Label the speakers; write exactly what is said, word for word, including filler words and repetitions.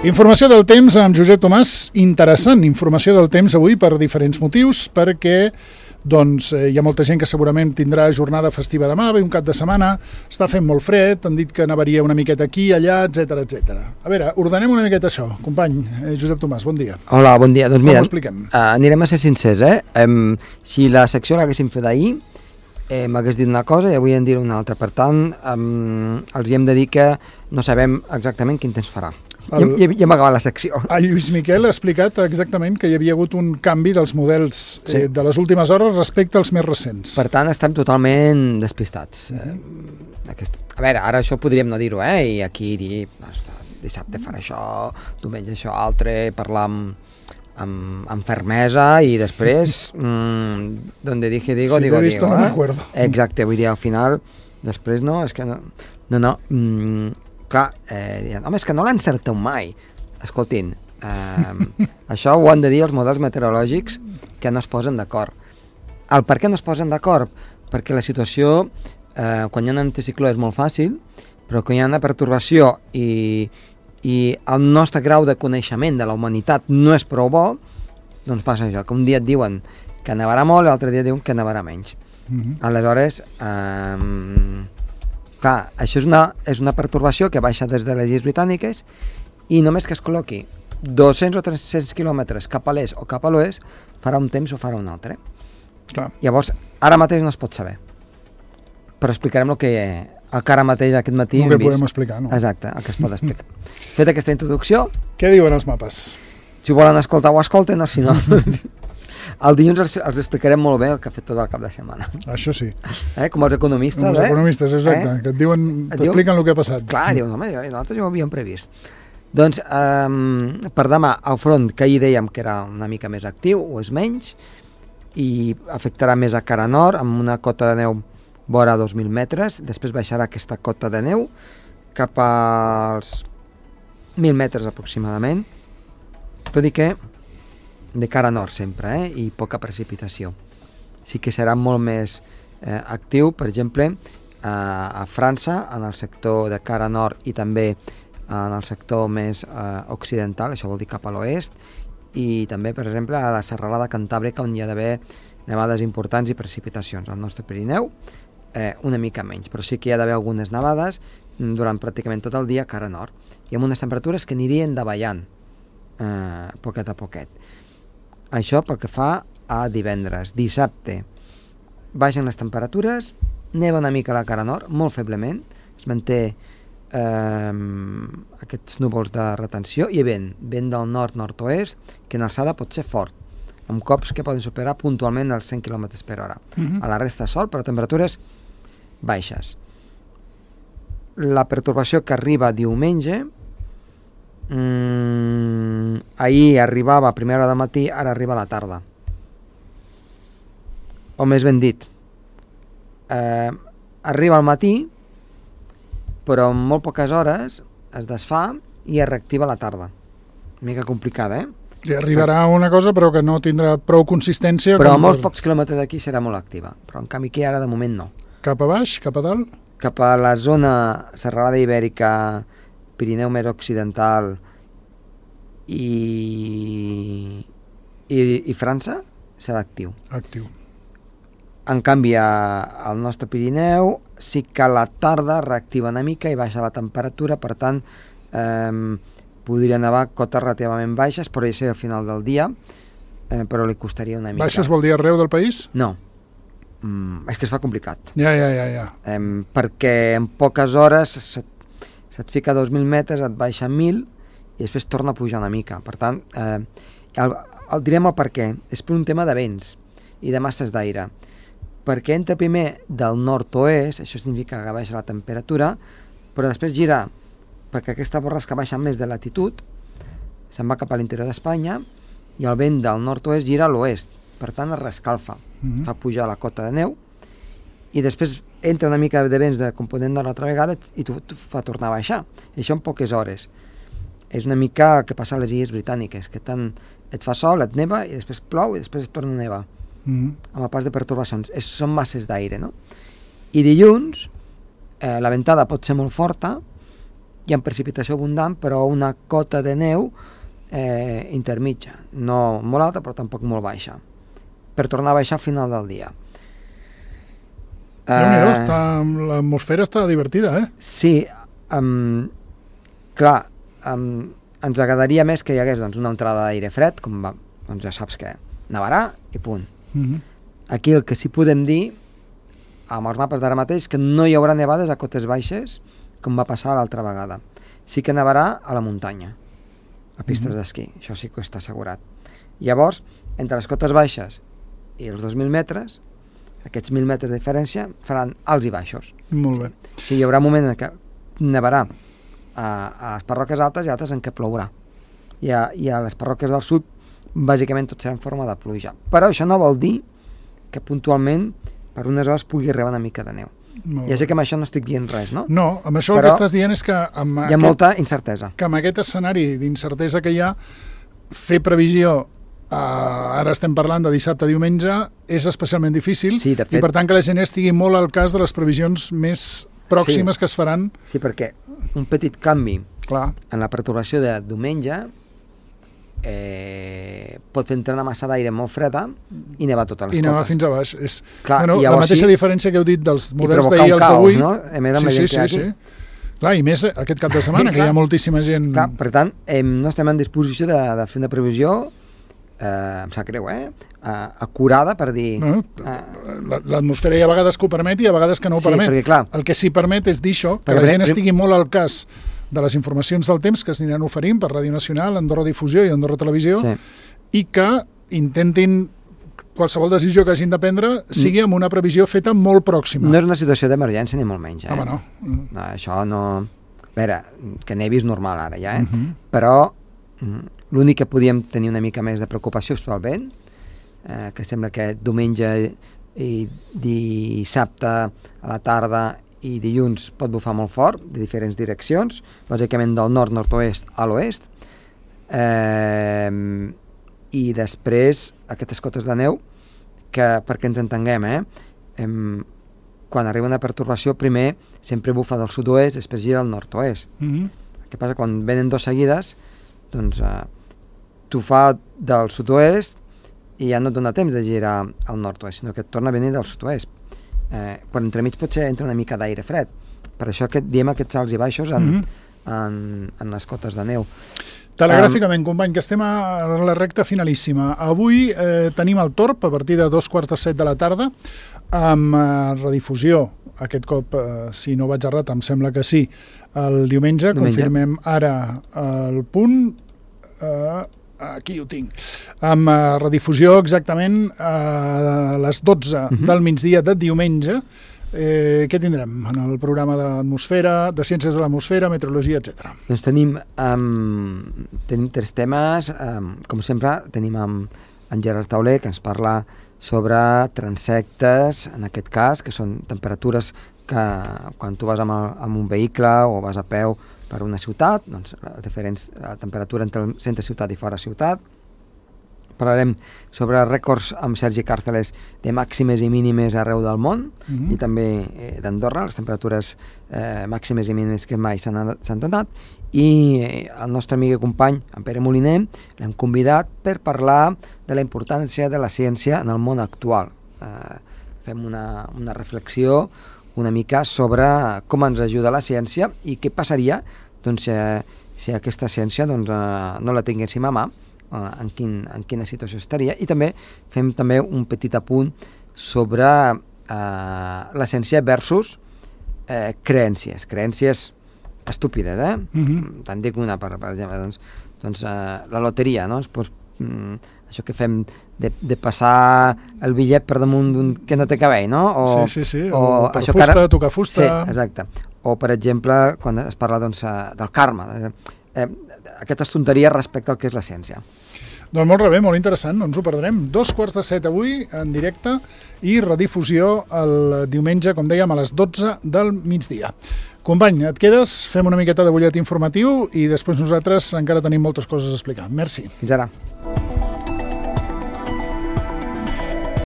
Speaker 1: Informació del temps amb Josep Tomàs, interessant informació del temps avui per diferents motius, perquè doncs, eh, hi ha molta gent que segurament tindrà jornada festiva demà, ve un cap de setmana, està fent molt fred, han dit que nevaria una miqueta aquí, allà, etcètera, etcètera. A veure, ordenem una miqueta això. Company, eh, Josep Tomàs, bon dia.
Speaker 2: Hola, bon dia. Doncs mira,
Speaker 1: com ho expliquem?
Speaker 2: Uh, anirem a ser sincers, eh? Um, si la secció l'haguéssim fet ahir, eh, m'hagués dit una cosa i avui en diré una altra. Per tant, um, els hi hem de dir que no sabem exactament quin temps farà. El, ja, ja hem acabat la secció.
Speaker 1: El Lluís Miquel ha explicat exactament que hi havia hagut un canvi dels models sí. eh, de les últimes hores respecte als més recents.
Speaker 2: Per tant, estem totalment despistats. Uh-huh. eh, aquest... A veure, ara això podríem no dir-ho, eh? I aquí dir, dissabte farà això, diumenge això, altre, parlar amb, amb, amb fermesa i després, mmm, donde dije digo,
Speaker 1: si
Speaker 2: digo,
Speaker 1: t'he visto,
Speaker 2: digo.
Speaker 1: no
Speaker 2: eh?
Speaker 1: m'acuerdo.
Speaker 2: Exacte, vull dir, al final, després no, és que no, no, no, mmm, clar, eh, diuen, home, és que no l'encerteu mai. Escoltin, eh, això ho han de dir els models meteorològics que no es posen d'acord. El per què no es posen d'acord? Perquè la situació, eh, quan hi ha un anticicló és molt fàcil, però quan hi ha una pertorbació i, i el nostre grau de coneixement de la humanitat no és prou bo, doncs passa això, que un dia et diuen que nevarà molt i l'altre dia diuen que nevarà menys. Mm-hmm. Aleshores, eh, clar, això és una, és una pertorbació que baixa des de les Illes Britàniques i només que es col·loqui dos-cents o tres-cents quilòmetres cap a l'est o cap a l'oest farà un temps o farà un altre.
Speaker 1: Clar.
Speaker 2: Llavors, ara mateix no es pot saber. Però explicarem el que, el que ara mateix aquest matí
Speaker 1: el que podem vist. explicar, no?
Speaker 2: Exacte, el que es pot explicar. Fet aquesta introducció...
Speaker 1: Què diuen els mapes?
Speaker 2: Si volen escoltar ho escolten, o si no... El dilluns els, els explicarem molt bé el que ha fet tot el cap de setmana.
Speaker 1: Això sí.
Speaker 2: Eh? Com els economistes,
Speaker 1: Com els
Speaker 2: eh?
Speaker 1: economistes, exacte, eh? que et diuen, t'expliquen el que ha passat.
Speaker 2: Clar, diuen, home, nosaltres ja ho havíem previst. Doncs, um, per demà, el front, que ahir dèiem que era una mica més actiu, o és menys, i afectarà més a cara nord, amb una cota de neu vora dos mil metres, després baixarà aquesta cota de neu cap als mil metres aproximadament, tot i que de cara nord sempre, eh? I poca precipitació. Sí que serà molt més eh, actiu, per exemple, eh, a França, en el sector de cara nord i també en el sector més eh, occidental, això vol dir cap a l'oest, i també, per exemple, a la serralada cantàbrica, on hi ha d'haver nevades importants i precipitacions. Al nostre Pirineu, eh, una mica menys, però sí que hi ha d'haver algunes nevades durant pràcticament tot el dia cara nord, i amb unes temperatures que anirien davallant eh, poquet a poquet. Això pel que fa a divendres. Dissabte baixen les temperatures, neva una mica a la cara nord, molt feblement, es manté eh, aquests núvols de retenció i vent, vent del nord-nord-oest, que en alçada pot ser fort, amb cops que poden superar puntualment els cent quilòmetres per hora. Uh-huh. A la resta sol, però temperatures baixes. La pertorbació que arriba diumenge, Mm, ahir arribava a primera hora del matí, ara arriba a la tarda, o més ben dit, eh, arriba al matí però en molt poques hores es desfà i es reactiva a la tarda. Una mica complicada, eh?
Speaker 1: I arribarà una cosa però que no tindrà prou consistència,
Speaker 2: però a molts per... pocs quilòmetres d'aquí serà molt activa, però en canvi aquí ara de moment no.
Speaker 1: Cap a baix, cap a dalt?
Speaker 2: Cap a la zona serralada ibèrica, Pirineu més occidental i, i, i França serà actiu.
Speaker 1: Actiu.
Speaker 2: En canvi, al nostre Pirineu sí que a la tarda reactiva una mica i baixa la temperatura, per tant, eh, podria nevar cotes relativament baixes, podria ser al final del dia, eh, però li costaria una mica.
Speaker 1: Baixes vol dir arreu del país?
Speaker 2: No. Mm, és que es fa complicat.
Speaker 1: Ja, ja, ja. ja.
Speaker 2: Eh, perquè en poques hores se't se't fica a dos mil metres, et baixa a mil i després torna a pujar una mica. Per tant, eh, el, el direm el per què. És per un tema de vents i de masses d'aire. Perquè entra primer del nord-oest, això significa que baixa la temperatura, però després gira, perquè aquesta borrasca baixa més de latitud, se'n va cap a l'interior d'Espanya, i el vent del nord-oest gira a l'oest. Per tant, es rescalfa, mm-hmm. fa pujar la cota de neu, i després entra una mica de vents de component de l'altra vegada i t'ho fa tornar a baixar. I això en poques hores. És una mica el que passa a les Illes Britàniques, que tant et fa sol, et neva, i després plou, i després et torna a nevar. Mm-hmm. Amb el pas de pertorbacions. És, són masses d'aire, no? I dilluns, eh, la ventada pot ser molt forta, hi ha precipitació abundant, però una cota de neu eh, intermitja, no molt alta, però tampoc molt baixa, per tornar a baixar al final del dia.
Speaker 1: Déu-n'hi-do, està, l'atmosfera està divertida, eh?
Speaker 2: Sí, um, clar, um, ens agradaria més que hi hagués doncs, una entrada d'aire fred, com va, doncs ja saps que nevarà i punt.
Speaker 1: Mm-hmm.
Speaker 2: Aquí el que sí podem dir, amb els mapes d'ara mateix, que no hi haurà nevades a cotes baixes, com va passar l'altra vegada. Sí que nevarà a la muntanya, a pistes mm-hmm. d'esquí, això sí que està assegurat. Llavors, entre les cotes baixes i els dos mil metres, aquests mil metres de diferència faran alts i baixos.
Speaker 1: Molt bé.
Speaker 2: Sí, sí, hi haurà un moment en què nevarà a, a les parròquies altes i altres en què plourà. I a, i a les parròquies del sud, bàsicament tot serà en forma de pluja. Però això no vol dir que puntualment per unes hores pugui rebre una mica de neu.
Speaker 1: Molt
Speaker 2: ja sé
Speaker 1: bé.
Speaker 2: que amb això no estic dient res, no?
Speaker 1: No, amb això
Speaker 2: Però
Speaker 1: el que estàs dient és que amb,
Speaker 2: hi ha
Speaker 1: aquest,
Speaker 2: molta incertesa.
Speaker 1: que amb aquest escenari d'incertesa que hi ha, fer previsió, eh, ara estem parlant de dissabte a diumenge, és especialment difícil,
Speaker 2: Sí, de fet.
Speaker 1: i per tant que la gent estigui molt al cas de les previsions més pròximes
Speaker 2: Sí.
Speaker 1: que es faran.
Speaker 2: Sí, perquè un petit canvi
Speaker 1: Clar,
Speaker 2: en la perturbació de diumenge eh, pot fer entrar una massa d'aire molt freda i nevar totes les
Speaker 1: i anava
Speaker 2: cotes.
Speaker 1: fins a baix. És,
Speaker 2: Clar,
Speaker 1: bueno,
Speaker 2: i
Speaker 1: la
Speaker 2: llavors
Speaker 1: mateixa
Speaker 2: sí,
Speaker 1: diferència que heu dit dels
Speaker 2: i
Speaker 1: models
Speaker 2: provocar
Speaker 1: d'ahir
Speaker 2: un
Speaker 1: als
Speaker 2: caos,
Speaker 1: d'avui.
Speaker 2: no? A més, amb la
Speaker 1: Sí,
Speaker 2: gent
Speaker 1: sí,
Speaker 2: que hi ha
Speaker 1: sí,
Speaker 2: aquí.
Speaker 1: sí. Clar, i més aquest cap de setmana, que hi
Speaker 2: Clar.
Speaker 1: ha moltíssima gent...
Speaker 2: Clar, per tant, eh, no estem en disposició de, de fer una previsió, eh, em sap greu, eh? Uh, acurada per dir...
Speaker 1: No?
Speaker 2: Uh,
Speaker 1: La- L'atmosfera hi ha vegades que ho permet i a vegades que no ho
Speaker 2: sí,
Speaker 1: permet.
Speaker 2: perquè clar,
Speaker 1: El que sí permet és dir això, que
Speaker 2: Perquè
Speaker 1: la
Speaker 2: prim-
Speaker 1: gent
Speaker 2: prim-
Speaker 1: estigui molt al cas de les informacions del temps que es aniran oferint per Ràdio Nacional, Andorra Difusió i Andorra Televisió,
Speaker 2: sí.
Speaker 1: i que intentin qualsevol decisió que hagin de prendre sigui amb una previsió feta molt pròxima.
Speaker 2: No és una situació d'emergència ni molt menys, eh?
Speaker 1: Home, no.
Speaker 2: No, això no... A veure, que nevi és normal ara ja, eh?
Speaker 1: Uh -huh.
Speaker 2: Però mm, l'únic que podíem tenir una mica més de preocupació és pel vent, eh, que sembla que diumenge i dissabte a la tarda i dilluns pot bufar molt fort, de diferents direccions, bàsicament del nord, nord-oest a l'oest, eh, i després aquestes cotes de neu, que perquè ens entenguem, eh, em, quan arriba una pertorbació, primer sempre bufa del sud-oest, després gira al nord-oest.
Speaker 1: Uh -huh.
Speaker 2: El que passa quan venen dos seguides, doncs eh, tu fa del sud-oest i ja no et dona temps de girar al nord-oest, sinó que et torna a venir del sud-oest. Eh, però entremig potser entra una mica d'aire fred. Per això que diem aquests alts i baixos en,
Speaker 1: Uh -huh.
Speaker 2: en, en les cotes de neu.
Speaker 1: Telegràficament, um, company, que estem a la recta finalíssima. Avui eh, tenim el Torb a partir de dos quarts de set de la tarda, amb eh, redifusió, aquest cop, eh, si no vaig errat, em sembla que sí, el diumenge,
Speaker 2: Diumenge.
Speaker 1: confirmem ara el punt, eh, aquí ho tinc, amb eh, redifusió exactament a les dotze
Speaker 2: Uh-huh.
Speaker 1: del migdia de diumenge. Eh, què tindrem en el programa d'atmosfera, de ciències de l'atmosfera, meteorologia, etcètera?
Speaker 2: Doncs tenim, um, tenim tres temes, um, com sempre tenim en, en Gerard Tauler, que ens parla sobre transectes, en aquest cas, que són temperatures que quan tu vas amb, el, amb un vehicle o vas a peu per una ciutat, doncs la diferents la temperatura entre el centre ciutat i fora ciutat. Parlarem sobre rècords amb Sergi Càrceles de màximes i mínimes arreu del món,
Speaker 1: Mhm.
Speaker 2: i també eh, d'Andorra, les temperatures eh, màximes i mínimes que mai s'han s'han donat, i eh, el nostre amic i company, en Pere Moliner, l'hem convidat per parlar de la importància de la ciència en el món actual. Eh, fem una, una reflexió una mica sobre com ens ajuda la ciència i què passaria doncs, si, si aquesta ciència doncs, eh, no la tinguéssim a mà, en, quin, en quina situació estaria, i també fem també un petit apunt sobre eh, la ciència versus eh, creències, creències estúpides, eh?
Speaker 1: Mhm.
Speaker 2: Te'n dic una, per, per exemple, doncs, doncs eh, la loteria, no? Pues, mm, això que fem de, de passar el bitllet per damunt d'un que no té cabell, no? O,
Speaker 1: sí, sí, sí,
Speaker 2: o
Speaker 1: o per
Speaker 2: això
Speaker 1: fusta,
Speaker 2: que ara...
Speaker 1: tocar fusta...
Speaker 2: Sí, exacte. O, per exemple, quan es parla doncs, eh, del karma, eh, eh, aquestes tonteries respecte al que és la ciència.
Speaker 1: Doncs molt bé, molt interessant, no ens ho perdrem. Dos quarts de set avui, en directe, i redifusió el diumenge, com dèiem, a les dotze del migdia. Company, et quedes, fem una miqueta de butlletí informatiu i després nosaltres encara tenim moltes coses a explicar. Merci.
Speaker 2: Fins ara.